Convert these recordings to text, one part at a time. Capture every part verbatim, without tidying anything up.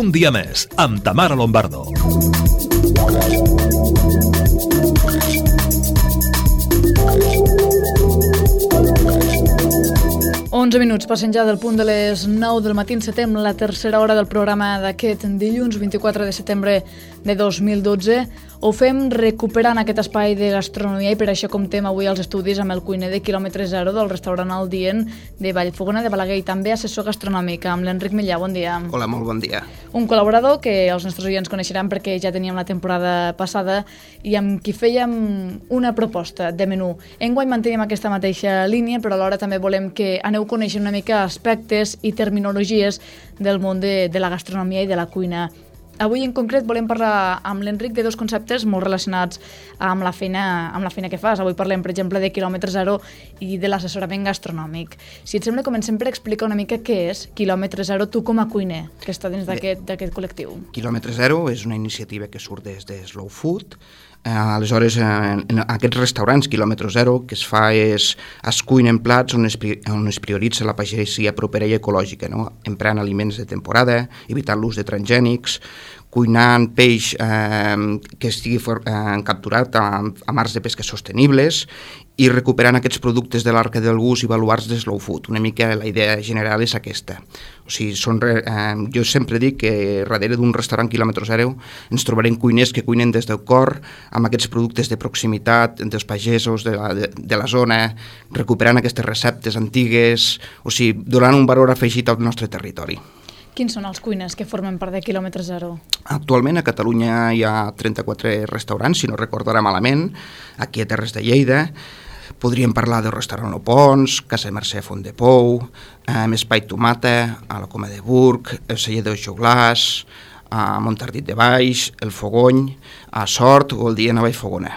Un dia més, amb Tamara Lombardo. onze minuts passen ja del punt de les nou del matí. Encetem la tercera hora del programa d'aquest dilluns vint-i-quatre de setembre de dos mil dotze. Ho fem recuperant aquest espai de gastronomia i per això comptem avui als estudis amb el cuiner de quilòmetre zero del restaurant El Dient de Vallfogona de Balaguer i també assessor gastronòmic amb l'Enric Millà. Bon dia. Hola, molt bon dia. Un col·laborador que els nostres oients coneixeran perquè ja teníem la temporada passada i amb qui fèiem una proposta de menú. Enguany mantenim aquesta mateixa línia, però alhora també volem que aneu coneixent una mica aspectes i terminologies del món de, de la gastronomia i de la cuina. Avui en concret volem parlar amb l'Enric de dos conceptes molt relacionats amb la feina, amb la feina que fas. Avui parlem, per exemple, de quilòmetre zero i de l'assessorament gastronòmic. Si et sembla, comencem per explicar una mica què és quilòmetre zero, tu com a cuiner, que està dins d'aquest col·lectiu. Quilòmetre zero és una iniciativa que surt des de Slow Food. Eh, aleshores, en, en aquests restaurants quilòmetre zero, que es fa és es cuinen plats on es, on es prioritza la pagesia propera i ecològica, no? Emprant aliments de temporada, evitant l'ús de transgènics, cuinant peix eh, que estigui for, eh, capturat a, a mars de pesca sostenibles i recuperant aquests productes de l'arca del gust i baluarts de Slow Food. Una mica la idea general és aquesta. O sigui, són, eh, jo sempre dic que darrere d'un restaurant quilòmetre zero ens trobarem cuiners que cuinen des del cor amb aquests productes de proximitat dels pagesos de la, de, de la zona, recuperant aquestes receptes antigues, o sigui, donant un valor afegit al nostre territori. Quins són els cuiners que formen part de quilòmetre zero? Actualment a Catalunya hi ha trenta-quatre restaurants, si no recordarà malament, aquí a Terres de Lleida. Podríem parlar del restaurant Opons, Casa Mercè Font de Pou, eh, Espai Tomata, a la Coma de Burg, el Celler dels Joglars, a Montardit de Baix, el Fogony, a Sort o el Dient a Vallfogona.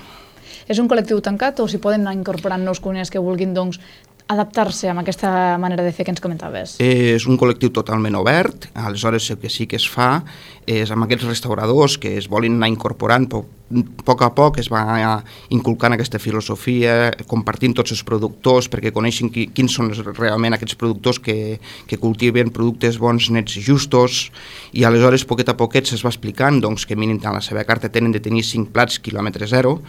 És un col·lectiu tancat o s'hi poden anar incorporant nous cuiners que vulguin, doncs, adaptar-se amb aquesta manera de fer que ens comentaves? És un col·lectiu totalment obert, aleshores el que sí que es fa és amb aquests restauradors que es volen anar incorporant, a poc a poc es va inculcant aquesta filosofia, compartint tots els productors perquè coneixin qui, quins són realment aquests productors que, que cultiven productes bons, nets i justos, i aleshores poquet a poquet es va explicant doncs, que mínim en la seva carta tenen de tenir cinc plats quilòmetre zero.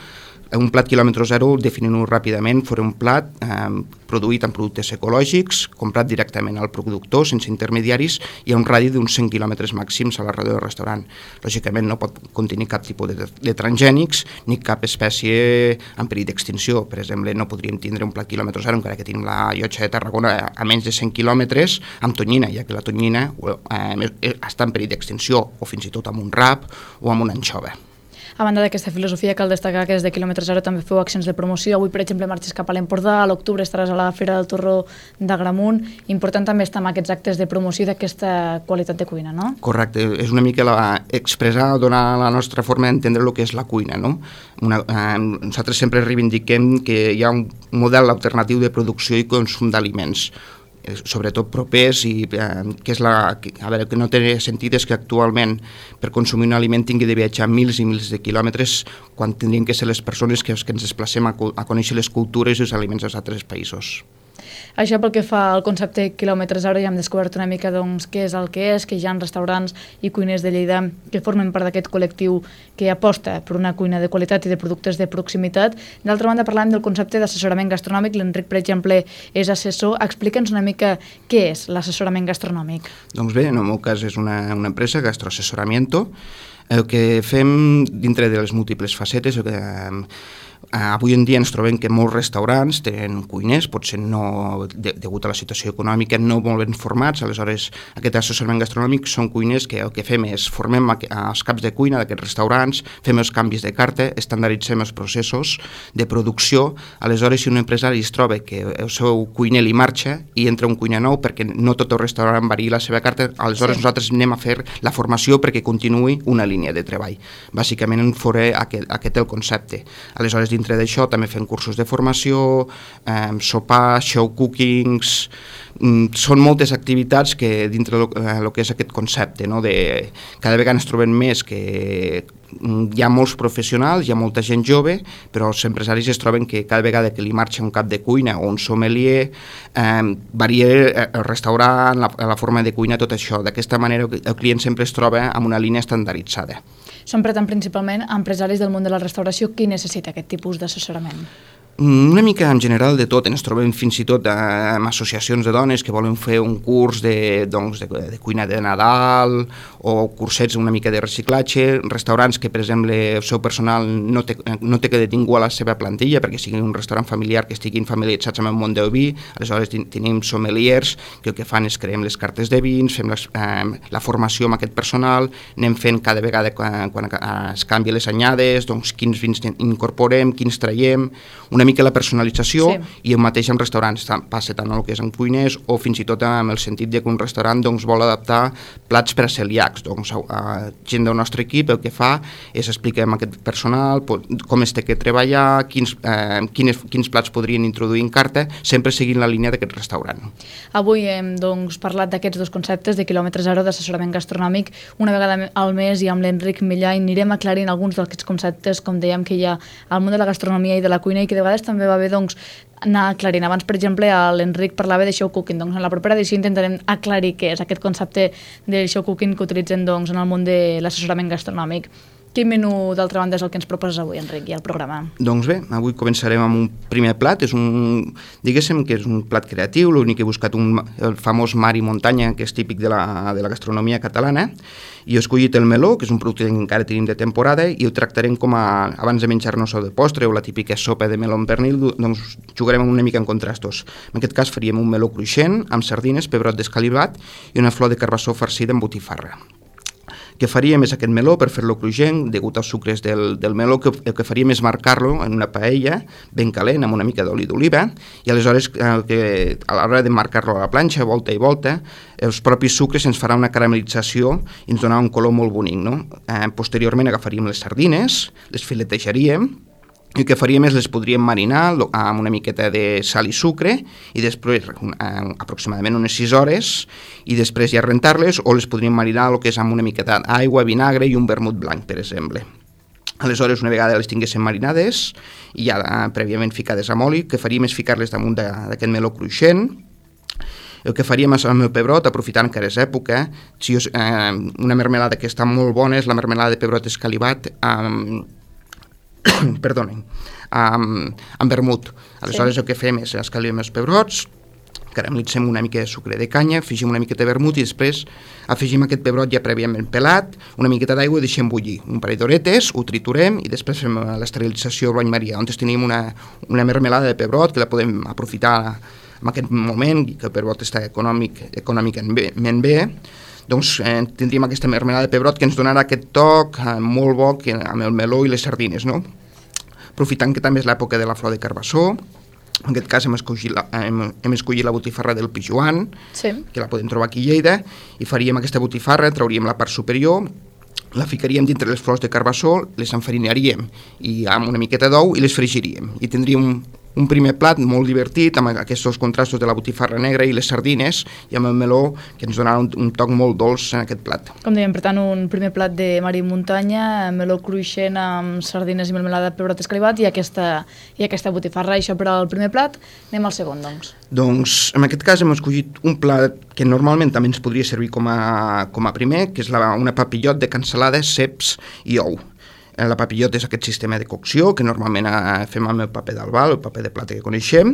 Un plat quilòmetre zero, definint-ho ràpidament, farà un plat eh, produït amb productes ecològics, comprat directament al productor, sense intermediaris, i a un radi d'uns cent quilòmetres màxims a la ràdio del restaurant. Lògicament no pot contenir cap tipus de, de transgènics ni cap espècie en perill d'extinció. Per exemple, no podríem tindre un plat quilòmetre zero, encara que tenim la llotja de Tarragona a menys de cent quilòmetres, amb tonyina, ja que la tonyina eh, està en perill d'extinció, o fins i tot amb un rap o amb una anxova. A banda d'aquesta filosofia, cal destacar que des de quilòmetre zero també feu accions de promoció. Avui, per exemple, marxes cap a l'Empordà, a l'octubre estaràs a la Fira del Torró d'Agramunt. Important també estar amb aquests actes de promoció d'aquesta qualitat de cuina, no? Correcte, és una mica la, expressar, donar la nostra forma d'entendre el que és la cuina, no? Una, eh, nosaltres sempre reivindiquem que hi ha un model alternatiu de producció i consum d'aliments, sobretot propers, i eh, que és la, que, a veure, que no té sentit és que actualment per consumir un aliment tingui de viatjar mils i mils de quilòmetres quan tindrien que ser les persones que, que ens desplacem a, a conèixer les cultures i els aliments dels altres països. Això pel que fa al concepte quilòmetre zero, ja hem descobert una mica doncs, què és el que és, que hi ha restaurants i cuiners de Lleida que formen part d'aquest col·lectiu que aposta per una cuina de qualitat i de productes de proximitat. D'altra banda, parlàvem del concepte d'assessorament gastronòmic. L'Enric, per exemple, és assessor. Explica'ns una mica què és l'assessorament gastronòmic. Doncs bé, en el meu cas és una, una empresa, Gastroassessoramiento. El que fem dintre de les múltiples facetes, el que... Avui en dia ens trobem que molts restaurants tenen cuiners, potser no, de, degut a la situació econòmica, no molt ben formats. Aleshores, aquest assessorament gastronòmic són cuiners que el que fem és formem els caps de cuina d'aquests restaurants, fem els canvis de carta, estandarditzem els processos de producció. Aleshores, si un empresari es troba que el seu cuiner li marxa i entra un cuiner nou perquè no tot el restaurant varia la seva carta, aleshores sí. Nosaltres anem a fer la formació perquè continuï una línia de treball. Bàsicament, en faré aquest, aquest el concepte. Aleshores, dintre d'això també fem cursos de formació, eh, sopars, show cookings, mm, són moltes activitats que dintre el eh, que és aquest concepte, no? De, cada vegada ens trobem més que hi ha molts professionals, hi ha molta gent jove, però els empresaris es troben que cada vegada que li marxa un cap de cuina o un sommelier, eh, varia el restaurant, la, la forma de cuina, tot això. D'aquesta manera el client sempre es troba amb una línia estandarditzada. Són, per tant, principalment empresaris del món de la restauració. Qui necessita aquest tipus d'assessorament? Una mica en general de tot, ens trobem fins i tot amb associacions de dones que volen fer un curs de, doncs, de, de cuina de Nadal o cursets una mica de reciclatge, restaurants que per exemple el seu personal no té, no té que de ningú a la seva plantilla perquè sigui un restaurant familiar que estiguin familiaritzats amb el món del vi, aleshores tenim sommeliers que el que fan és creem les cartes de vins, fem les, eh, la formació amb aquest personal, anem fent cada vegada quan, quan es canvien les anyades, doncs quins vins incorporem, quins traiem, una mica la personalització, sí. I el mateix amb restaurants, passa tant el que és en cuiners o fins i tot amb el sentit de que un restaurant doncs, vol adaptar plats per a celíacs. Doncs, a gent del nostre equip el que fa és explicar a aquest personal com es té que treballar, quins, eh, quins, quins plats podrien introduir en carta, sempre seguint la línia d'aquest restaurant. Avui hem doncs, parlat d'aquests dos conceptes de quilòmetre zero d'assessorament gastronòmic. Una vegada al mes i amb l'Enric Millà anirem aclarint alguns d'aquests conceptes, com dèiem, que hi ha al món de la gastronomia i de la cuina i que de vegades també va bé doncs, anar aclarint. Abans, per exemple, l'Enric parlava de show cooking, doncs en la propera edició intentarem aclarir què és aquest concepte de show cooking que utilitzen doncs, en el món de l'assessorament gastronòmic. Quin menú, d'altra banda, és el que ens proposes avui, Enric, i el programa? Doncs bé, avui començarem amb un primer plat, és un, diguéssim que és un plat creatiu, l'únic que he buscat un, el famós mar i muntanya, que és típic de la, de la gastronomia catalana, i he escollit el meló, que és un producte que encara tenim de temporada, i el tractarem com a, abans de menjar-nos el de postre o la típica sopa de meló amb pernil, doncs jugarem una mica en contrastos. En aquest cas faríem un meló cruixent, amb sardines, pebrot descalivat i una flor de carbassó farcida amb botifarra. El que faríem és aquest meló, per fer-lo cruixent, degut als sucres del, del meló, que, el que faríem és marcar-lo en una paella ben calent, amb una mica d'oli d'oliva, i aleshores el que, a l'hora de marcar-lo a la planxa, volta i volta, els propis sucres ens farà una caramelització i ens donarà un color molt bonic. No? Eh, posteriorment agafaríem les sardines, les filetejaríem, i el que faríem és les podríem marinar amb una miqueta de sal i sucre i després eh, aproximadament unes sis hores i després ja rentar-les o les podríem marinar el que és amb una miqueta d'aigua, vinagre i un vermut blanc, per exemple. Aleshores, una vegada les tinguéssim marinades i ja eh, prèviament ficades amb oli, el que faríem és ficar-les damunt d'aquest meló cruixent. El que faríem amb el pebrot, aprofitant que ara és època, si us, eh, una mermelada que està molt bona és la mermelada de pebrot escalivat amb eh, perdonen, amb, amb vermut. Aleshores sí. El que fem és escalivem els pebrots, caramelitzem una mica de sucre de canya, afegim una miqueta de vermut i després afegim aquest pebrot ja prèviament pelat, una miqueta d'aigua i deixem bullir. Un parell d'horetes, ho triturem i després fem l'esterilització al bany maria, on tenim una, una mermelada de pebrot que la podem aprofitar en aquest moment, que el pebrot està econòmic, econòmicament bé, doncs eh, tindríem aquesta mermelada de pebrot que ens donarà aquest toc eh, molt bo que, amb el meló i les sardines, no? Aprofitant que també és l'època de la flor de carbassó, en aquest cas hem escollit la, hem, hem escollit la botifarra del Pijuan, sí. Que la podem trobar aquí a Lleida, i faríem aquesta botifarra, trauríem la part superior, la ficaríem dintre les flors de carbassó, les enfarinaríem i amb una miqueta d'ou i les fregiríem. I tindríem un, un primer plat molt divertit amb aquests contrastos de la botifarra negra i les sardines i amb el meló que ens donarà un, un toc molt dolç en aquest plat. Com dèiem, per tant, un primer plat de mar i muntanya, meló cruixent amb sardines i melmelada de pebrot escalivat i aquesta, i aquesta botifarra. Això per al primer plat. Anem al segon, doncs. Doncs, en aquest cas hem escollit un plat que normalment també ens podria servir com a, com a primer, que és la, una papillot de cansalada, ceps i ou. La papillot és aquest sistema de cocció que normalment fem amb el paper d'albal, el paper de plata que coneixem.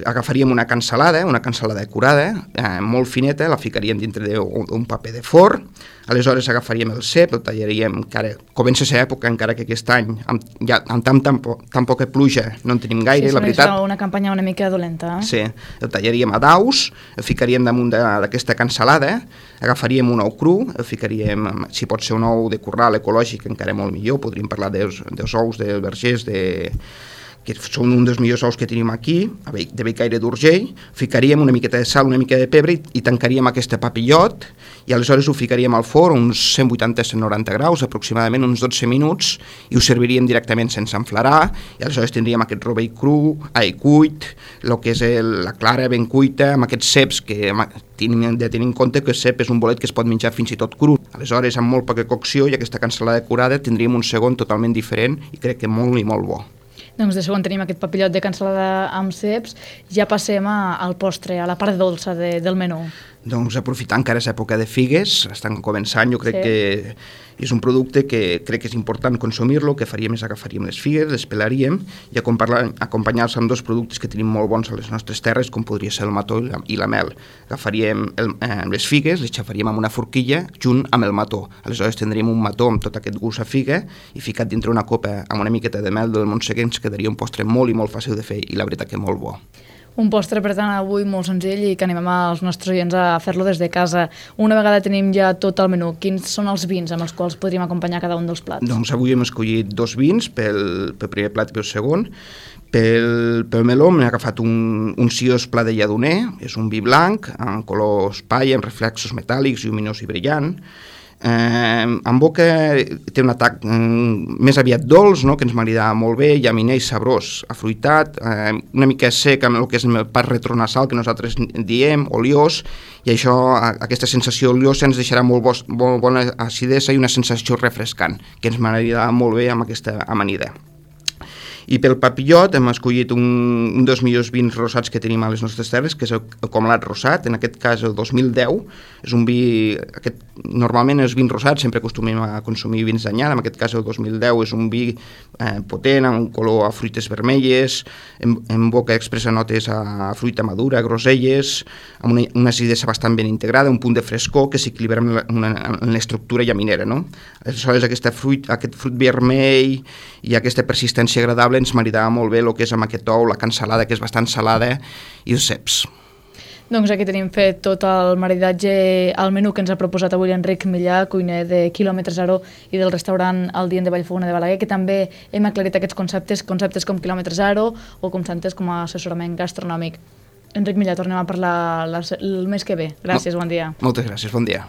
Agafaríem una cansalada, una cansalada curada, eh, molt fineta, la ficaríem dintre d'un paper de forn. Aleshores agafaríem el cep, el tallaríem, encara comença a ser època, encara que aquest any, amb, ja, amb tan, tan, po, tan poca pluja, no en tenim gaire, sí, la veritat. Sí, una campanya una mica dolenta. Eh? Sí, el tallaríem a daus, el ficaríem damunt d'aquesta cansalada, agafaríem un ou cru, el ficaríem, si pot ser un ou de corral ecològic, encara molt millor, podríem parlar dels, dels ous, dels vergers, de, que són un dels millors ous que tenim aquí, de Bellcaire d'Urgell, ficaríem una miqueta de sal, una mica de pebre i, i tancaríem aquest papillot i aleshores ho ficaríem al forn uns cent vuitanta a cent noranta graus, aproximadament uns dotze minuts, i ho serviríem directament sense enflarar, i aleshores tindríem aquest rovell cru, ai, cuit, el que és el, la clara ben cuita, amb aquests ceps que hem de tenir en compte que el cep és un bolet que es pot menjar fins i tot cru. Aleshores, amb molt poca cocció i aquesta cansalada curada tindríem un segon totalment diferent i crec que molt i molt bo. Doncs de segon tenim aquest papillot de cansalada amb ceps, ja passem a, al postre, a la part dolça de, del menú. Doncs aprofitant que ara és època de figues, estan començant, jo crec sí. que és un producte que crec que és important consumir-lo, que faríem és agafaríem les figues, les pelaríem i acompanyar-los amb dos productes que tenim molt bons a les nostres terres, com podria ser el mató i la, i la mel. Agafaríem el, eh, les figues, les xafaríem amb una forquilla junt amb el mató. Aleshores tindríem un mató amb tot aquest gust a figa i ficat dintre una copa amb una miqueta de mel del Montseguer ens quedaria un postre molt i molt fàcil de fer i la veritat que molt bo. Un postre, per tant, avui molt senzill i que animem als nostres oients a fer-lo des de casa. Una vegada tenim ja tot el menú, quins són els vins amb els quals podríem acompanyar cada un dels plats? Doncs avui hem escollit dos vins pel, pel primer plat i pel segon. Pel, pel meló m'he agafat un, un Sios Pla de Lledoner, és un vi blanc, amb colors paia, amb reflexos metàl·lics, lluminós i brillant. Eh, en boca té un atac mm, més aviat dolç, no?, que ens maridava molt bé, llaminer i sabrós, afruitat, eh, una mica sec amb el que és el pas retronasal que nosaltres diem, oliós, i això, aquesta sensació oliosa ens deixarà molt, bo, molt bona acidesa i una sensació refrescant, que ens maridava molt bé amb aquesta amanida. I pel papillot hem escollit un, un dels millors vins rosats que tenim a les nostres terres, que és el, el Comalat Rosat, en aquest cas el dos mil deu. És un vi, aquest, normalment els vins rosats sempre acostumem a consumir vins d'anyada, en aquest cas el dos mil deu és un vi eh, potent, amb un color a fruites vermelles, en, en boca expressa notes a fruita madura, groselles, amb una, una acidesa bastant ben integrada, un punt de frescor que s'equilibra en l'estructura llaminera, no? Aleshores aquesta fruit, aquest fruit vermell i aquesta persistència agradable ens maridava molt bé el que és amb aquest ou, la cansalada, que és bastant salada, i els ceps. Doncs aquí tenim fet tot el maridatge al menú que ens ha proposat avui Enric Millà, cuiner de Quilòmetre Zero i del restaurant El Dient de Vallfogona de Balaguer, que també hem aclarit aquests conceptes, conceptes com Quilòmetre Zero o conceptes com a assessorament gastronòmic. Enric Millà, tornem a parlar el mes que ve. Gràcies, bon dia. Moltes gràcies, bon dia.